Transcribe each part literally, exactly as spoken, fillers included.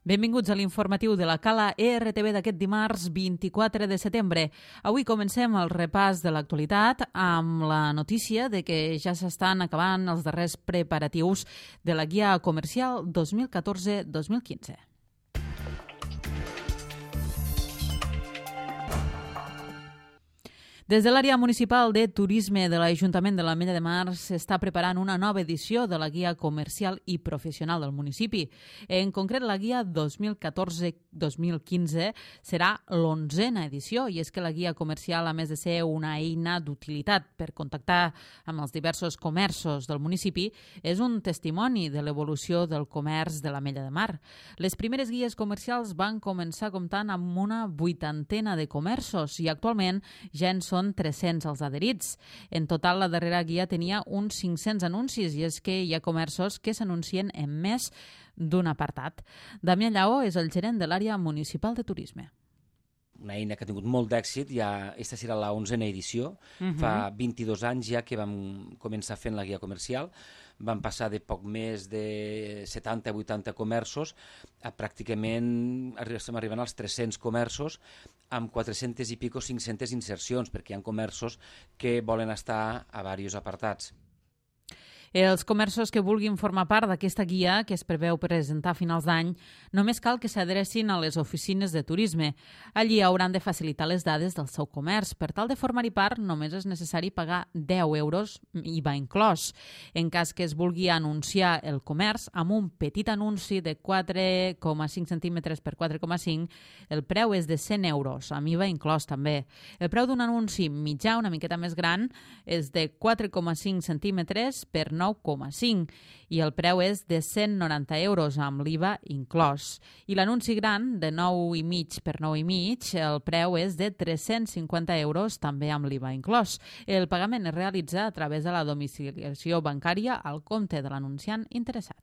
Benvinguts a l'informatiu de la Cala E R T V d'aquest dimarts vint-i-quatre de setembre. Avui comencem el repàs de l'actualitat amb la notícia de que ja s'estan acabant els darrers preparatius de la Guia Comercial dos mil catorze dos mil quinze. Des de l'àrea municipal de turisme de l'Ajuntament de l'Ametlla de Mar s'està preparant una nova edició de la Guia Comercial i Professional del municipi. En concret, la Guia dos mil catorze dos mil quinze serà l'onzena edició i és que la Guia Comercial, a més de ser una eina d'utilitat per contactar amb els diversos comerços del municipi, és un testimoni de l'evolució del comerç de l'Ametlla de Mar. Les primeres guies comercials van començar comptant amb una vuitantena de comerços i actualment ja en són tres-cents els adherits. En total, la darrera guia tenia uns cinc-cents anuncis i és que hi ha comerços que s'anuncien en més d'un apartat. Damià Lleó és el gerent de l'àrea municipal de turisme. Una eina que ha tingut molt d'èxit, ja aquesta serà la onzena edició, uh-huh. Fa vint-i-dos anys ja que vam començar fent la guia comercial, vam passar de poc més de setanta a vuitanta comerços a pràcticament, estem arribant als tres-cents comerços amb quatre-centes i pico cinc-centes insercions, perquè hi ha comerços que volen estar a diversos apartats. Els comerços que vulguin formar part d'aquesta guia, que es preveu presentar a finals d'any, només cal que s'adrecin a les oficines de turisme. Allí hauran de facilitar les dades del seu comerç. Per tal de formar-hi part, només és necessari pagar deu euros, I V A inclòs. En cas que es vulgui anunciar el comerç amb un petit anunci de quatre coma cinc centímetres per quatre coma cinc, el preu és de cent euros, amb I V A inclòs també. El preu d'un anunci mitjà, una miqueta més gran, és de quatre coma cinc centímetres per nou coma cinc i el preu és de cent noranta euros amb l'I V A inclòs. I l'anunci gran de nou i mig per nou i mig, el preu és de tres-cents cinquanta euros també amb l'I V A inclòs. El pagament es realitza a través de la domiciliació bancària al compte de l'anunciant interessat.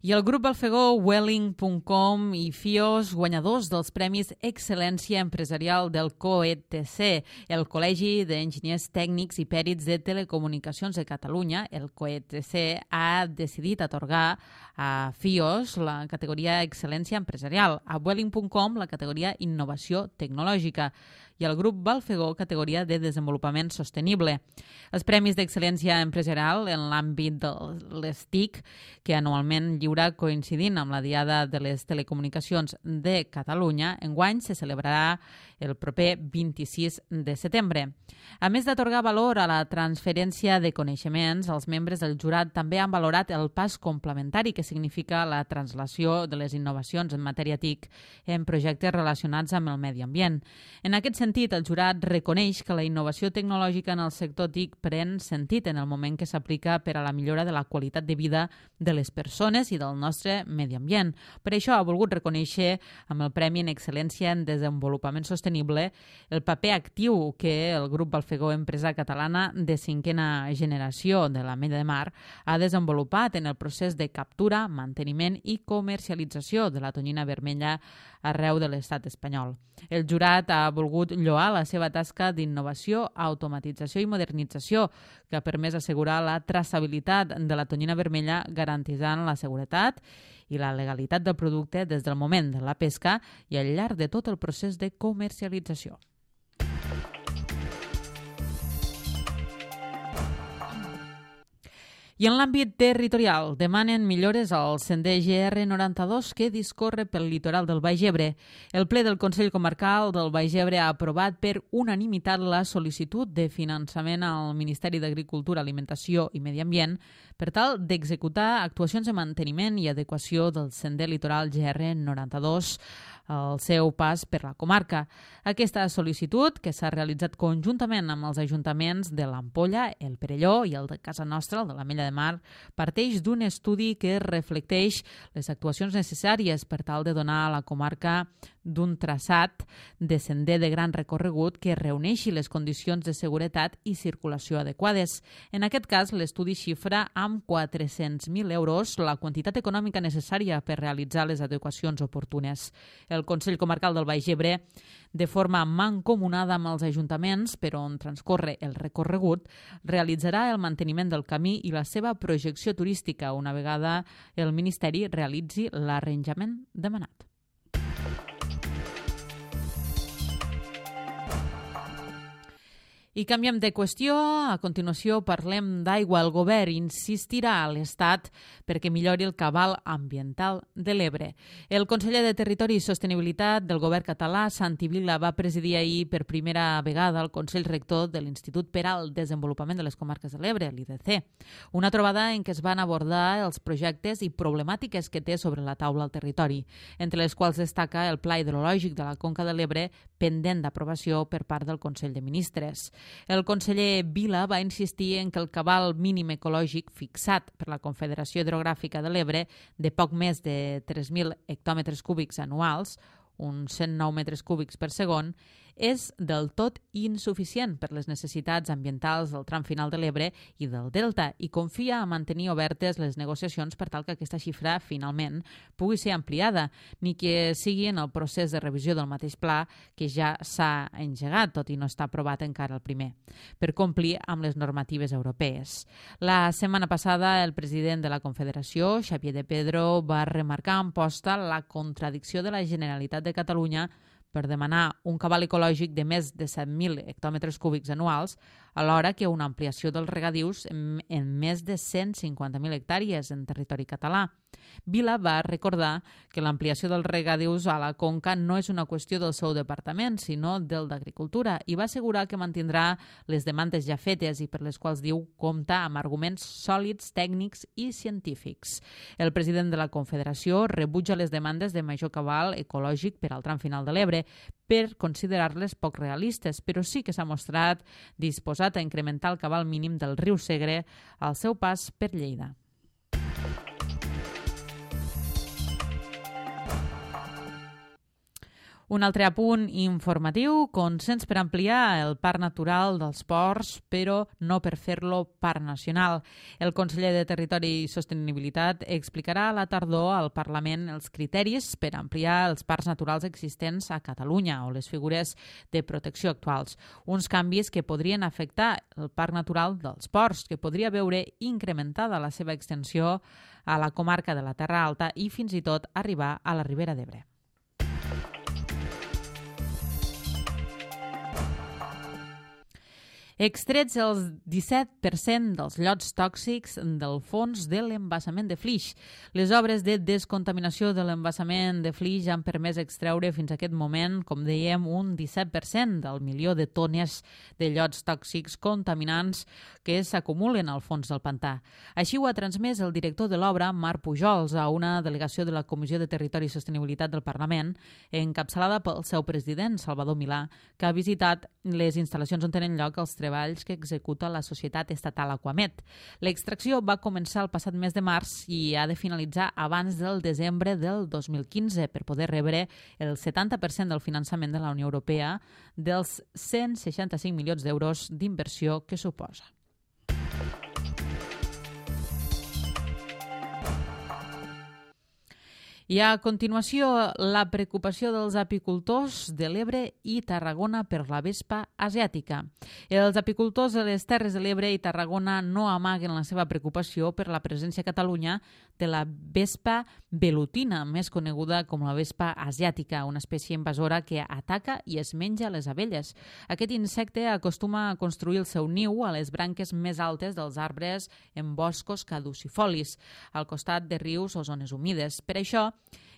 I el grup Balfegó, Welling punt com i Fios, guanyadors dels Premis Excel·lència Empresarial del C O E T C, el Col·legi d'Enginyers Tècnics i Pèrits de Telecomunicacions de Catalunya, el C O E T C, ha decidit atorgar a Fios la categoria Excel·lència Empresarial, a Welling punt com la categoria Innovació Tecnològica i el grup Balfegó categoria de Desenvolupament Sostenible. Els Premis d'Excel·lència Empresarial en l'àmbit de les T I C, que anualment lliura coincidint amb la Diada de les Telecomunicacions de Catalunya, enguany se celebrarà el proper vint-i-sis de setembre. A més d'atorgar valor a la transferència de coneixements, els membres del jurat també han valorat el pas complementari que significa la translació de les innovacions en matèria T I C en projectes relacionats amb el medi ambient. En aquest sentit, el jurat reconeix que la innovació tecnològica en el sector T I C pren sentit en el moment que s'aplica per a la millora de la qualitat de vida de les persones i del nostre medi ambient. Per això ha volgut reconèixer amb el Premi en Excel·lència en Desenvolupament Sostenible el paper actiu que el grup Balfegó, empresa catalana de cinquena generació de l'Ametlla de Mar, ha desenvolupat en el procés de captura, manteniment i comercialització de la tonyina vermella arreu de l'estat espanyol. El jurat ha volgut lloar la seva tasca d'innovació, automatització i modernització, que ha permès assegurar la traçabilitat de la tonyina vermella garantitzant la seguretat i la legalitat del producte des del moment de la pesca i al llarg de tot el procés de comercialització. I en l'àmbit territorial demanen millores al sender G R noranta-dos que discorre pel litoral del Baix Ebre. El ple del Consell Comarcal del Baix Ebre ha aprovat per unanimitat la sol·licitud de finançament al Ministeri d'Agricultura, Alimentació i Medi Ambient per tal d'executar actuacions de manteniment i adequació del sender litoral G R noranta-dos al seu pas per la comarca. Aquesta sol·licitud, que s'ha realitzat conjuntament amb els ajuntaments de l'Ampolla, el Perelló i el de Casa Nostra, el de l'Ametlla de Mar, parteix d'un estudi que reflecteix les actuacions necessàries per tal de donar a la comarca d'un traçat de sender de gran recorregut que reuneixi les condicions de seguretat i circulació adequades. En aquest cas, l'estudi xifra amb quatre-cents mil euros la quantitat econòmica necessària per realitzar les adequacions oportunes. El Consell Comarcal del Baix Ebre, de forma mancomunada amb els ajuntaments per on transcorre el recorregut, realitzarà el manteniment del camí i la seva projecció turística una vegada el Ministeri realitzi l'arranjament demanat. I canviem de qüestió. A continuació parlem d'aigua. El govern insistirà a l'Estat perquè millori el cabal ambiental de l'Ebre. El conseller de Territori i Sostenibilitat del govern català, Santi Vila, va presidir ahir per primera vegada el Consell Rector de l'Institut per al Desenvolupament de les Comarques de l'Ebre, l'I D C. Una trobada en què es van abordar els projectes i problemàtiques que té sobre la taula el territori, entre les quals destaca el Pla Hidrològic de la Conca de l'Ebre pendent d'aprovació per part del Consell de Ministres. El conseller Vila va insistir en que el cabal mínim ecològic fixat per la Confederació Hidrogràfica de l'Ebre de poc més de tres mil hectòmetres cúbics anuals, uns cent nou metres cúbics per segon, és del tot insuficient per les necessitats ambientals del tram final de l'Ebre i del Delta i confia a mantenir obertes les negociacions per tal que aquesta xifra finalment pugui ser ampliada, ni que sigui en el procés de revisió del mateix pla que ja s'ha engegat, tot i no està aprovat encara el primer, per complir amb les normatives europees. La setmana passada, el president de la Confederació, Xavier de Pedro, va remarcar en posta la contradicció de la Generalitat de Catalunya per demanar un cabal ecològic de més de set mil hectòmetres cúbics anuals, alhora que una ampliació dels regadius en, en més de cent cinquanta mil hectàrees en territori català. Vila va recordar que l'ampliació dels regadius a la Conca no és una qüestió del seu departament, sinó del d'Agricultura, i va assegurar que mantindrà les demandes ja fetes i per les quals diu compta amb arguments sòlids, tècnics i científics. El president de la Confederació rebutja les demandes de major cabal ecològic per al tram final de l'Ebre per considerar-les poc realistes, però sí que s'ha mostrat disposat a incrementar el cabal mínim del riu Segre al seu pas per Lleida. Un altre apunt informatiu, consens per ampliar el Parc Natural dels Ports, però no per fer-lo Parc Nacional. El conseller de Territori i Sostenibilitat explicarà a la tardor al Parlament els criteris per ampliar els parcs naturals existents a Catalunya o les figures de protecció actuals. Uns canvis que podrien afectar el Parc Natural dels Ports, que podria veure incrementada la seva extensió a la comarca de la Terra Alta i fins i tot arribar a la Ribera d'Ebre. Extrets el disset per cent dels llots tòxics del fons de l'embassament de Flix. Les obres de descontaminació de l'embassament de Flix han permès extreure fins a aquest moment, com dèiem, un disset per cent del milió de tones de llots tòxics contaminants que s'acumulen al fons del pantà. Així ho ha transmès el director de l'obra, Marc Pujols, a una delegació de la Comissió de Territori i Sostenibilitat del Parlament, encapçalada pel seu president, Salvador Milà, que ha visitat les instal·lacions on tenen lloc els treballs que executa la societat estatal Aquamet. L'extracció va començar el passat mes de març i ha de finalitzar abans del desembre del dos mil quinze per poder rebre el setanta per cent del finançament de la Unió Europea dels cent seixanta-cinc milions d'euros d'inversió que suposa. I a continuació, la preocupació dels apicultors de l'Ebre i Tarragona per la vespa asiàtica. Els apicultors de les Terres de l'Ebre i Tarragona no amaguen la seva preocupació per la presència a Catalunya de la vespa velutina, més coneguda com la vespa asiàtica, una espècie invasora que ataca i es menja les abelles. Aquest insecte acostuma a construir el seu niu a les branques més altes dels arbres en boscos caducifolis, al costat de rius o zones humides. Per això,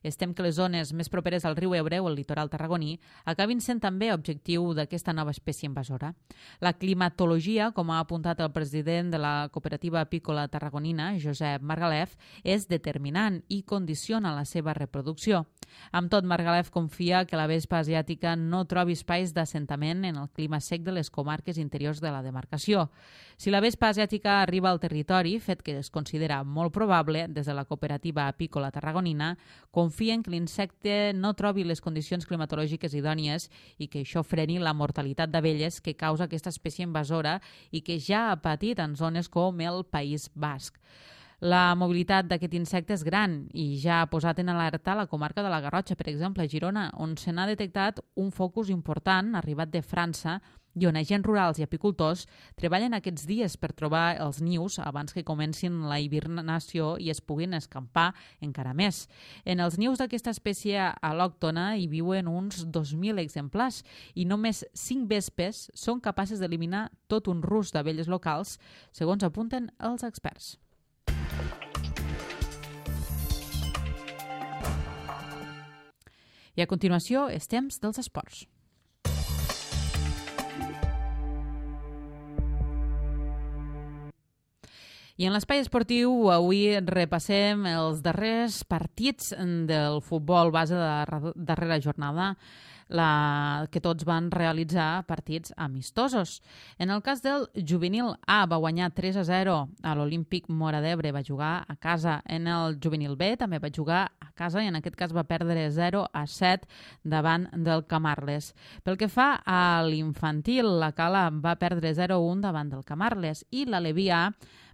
estem que les zones més properes al riu Ebre o el litoral tarragoní acabin sent també objectiu d'aquesta nova espècie invasora. La climatologia, com ha apuntat el president de la cooperativa apícola tarragonina, Josep Margalef, és determinant i condiciona la seva reproducció. Amb tot, Margalef confia que la vespa asiàtica no trobi espais d'assentament en el clima sec de les comarques interiors de la demarcació. Si la vespa asiàtica arriba al territori, fet que es considera molt probable, des de la cooperativa apícola tarragonina, confia confien que l'insecte no trobi les condicions climatològiques idònies i que això freni la mortalitat d'abelles que causa aquesta espècie invasora i que ja ha patit en zones com el País Basc. La mobilitat d'aquest insecte és gran i ja ha posat en alerta la comarca de la Garrotxa, per exemple, a Girona, on se n'ha detectat un focus important arribat de França i on agents rurals i apicultors treballen aquests dies per trobar els nius abans que comencin la hibernació i es puguin escampar encara més. En els nius d'aquesta espècie al·lòctona hi viuen uns dos mil exemplars i només cinc vespes són capaces d'eliminar tot un rus d'abelles locals, segons apunten els experts. I a continuació, és temps dels esports. I en l'espai esportiu avui repassem els darrers partits del futbol base de la darrera jornada, la, que tots van realitzar partits amistosos. En el cas del juvenil A va guanyar tres a zero a l'Olímpic Móra d'Ebre, va jugar a casa. En el juvenil B també va jugar a casa i en aquest cas va perdre zero a set davant del Camarles. Pel que fa a l'infantil, la Cala va perdre zero a un davant del Camarles i l'Aleví A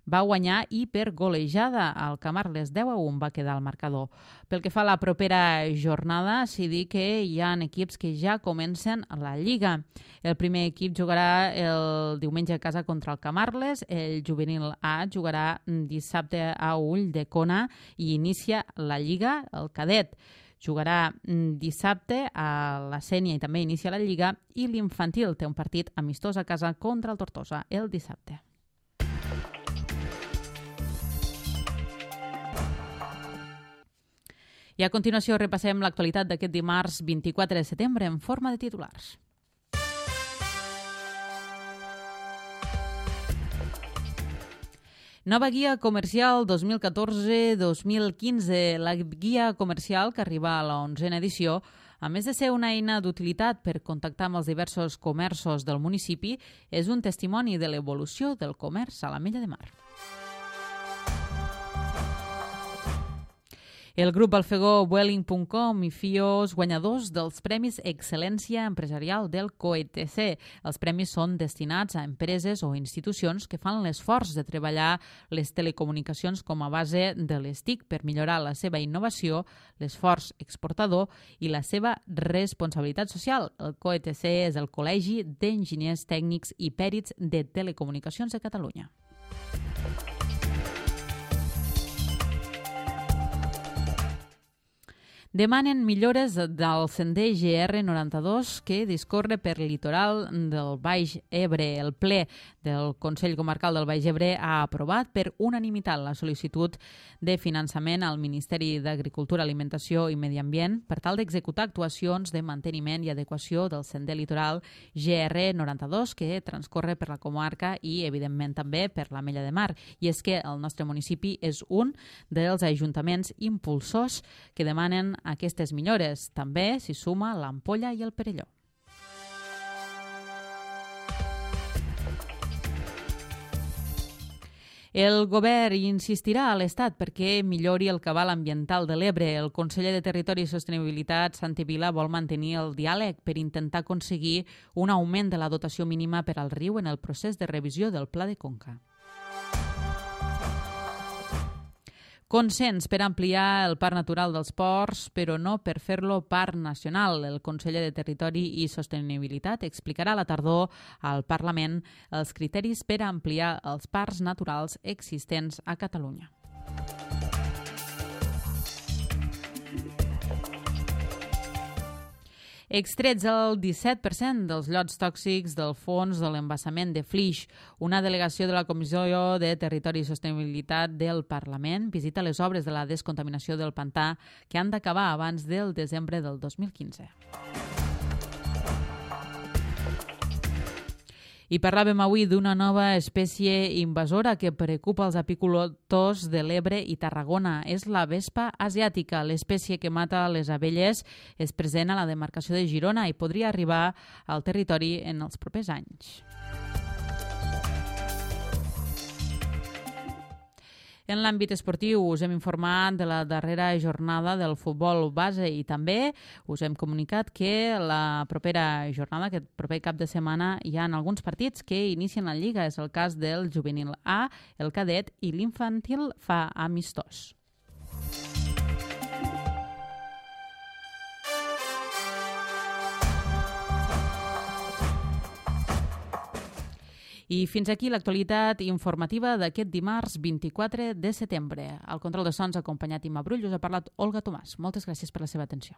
va guanyar i per golejada. El Camarles deu a un va quedar al marcador. Pel que fa a la propera jornada, s'hi dir que hi ha equips que ja comencen la Lliga. El primer equip jugarà el diumenge a casa contra el Camarles, el juvenil A jugarà dissabte a Ull de Cona i inicia la Lliga, el cadet jugarà dissabte a la Sénia i també inicia la Lliga, i l'infantil té un partit amistós a casa contra el Tortosa el dissabte. I a continuació repassem l'actualitat d'aquest dimarts vint-i-quatre de setembre en forma de titulars. Nova guia comercial dos mil catorze dos mil quinze. La guia comercial, que arriba a l'onzena edició, a més de ser una eina d'utilitat per contactar amb els diversos comerços del municipi, és un testimoni de l'evolució del comerç a l'Ametlla de Mar. El grup Balfegó Vueling punt com i Fios, guanyadors dels Premis Excel·lència Empresarial del C O E T C. Els premis són destinats a empreses o institucions que fan l'esforç de treballar les telecomunicacions com a base de les T I C per millorar la seva innovació, l'esforç exportador i la seva responsabilitat social. El C O E T C és el Col·legi d'Enginyers Tècnics i Pèrits de Telecomunicacions de Catalunya. Demanen millores del sender G R noranta-dos que discorre per el litoral del Baix Ebre. El ple del Consell Comarcal del Baix Ebre ha aprovat per unanimitat la sol·licitud de finançament al Ministeri d'Agricultura, Alimentació i Medi Ambient per tal d'executar actuacions de manteniment i adequació del sender litoral G R noranta-dos que transcorre per la comarca i, evidentment, també per l'Ametlla de Mar. I és que el nostre municipi és un dels ajuntaments impulsors que demanen aquestes millores. També s'hi suma l'Ampolla i el Perelló. El govern insistirà a l'Estat perquè millori el cabal ambiental de l'Ebre. El conseller de Territori i Sostenibilitat, Santi Vila, vol mantenir el diàleg per intentar aconseguir un augment de la dotació mínima per al riu en el procés de revisió del Pla de Conca. Consens per ampliar el Parc Natural dels Ports, però no per fer-lo Parc Nacional. El conseller de Territori i Sostenibilitat explicarà a la tardor al Parlament els criteris per ampliar els parcs naturals existents a Catalunya. Extrets el disset per cent dels llots tòxics del fons de l'embassament de Flix. Una delegació de la Comissió de Territori i Sostenibilitat del Parlament visita les obres de la descontaminació del pantà que han d'acabar abans del desembre del dos mil quinze. I parlàvem avui d'una nova espècie invasora que preocupa els apicultors de l'Ebre i Tarragona. És la vespa asiàtica. L'espècie que mata les abelles és present a la demarcació de Girona i podria arribar al territori en els propers anys. En l'àmbit esportiu us hem informat de la darrera jornada del futbol base i també us hem comunicat que la propera jornada, aquest proper cap de setmana, hi ha alguns partits que inicien la Lliga. És el cas del juvenil A, el cadet i l'infantil fa amistós. I fins aquí l'actualitat informativa d'aquest dimarts vint-i-quatre de setembre. Al control de sons ha acompanyat Imma Brull, us ha parlat Olga Tomàs. Moltes gràcies per la seva atenció.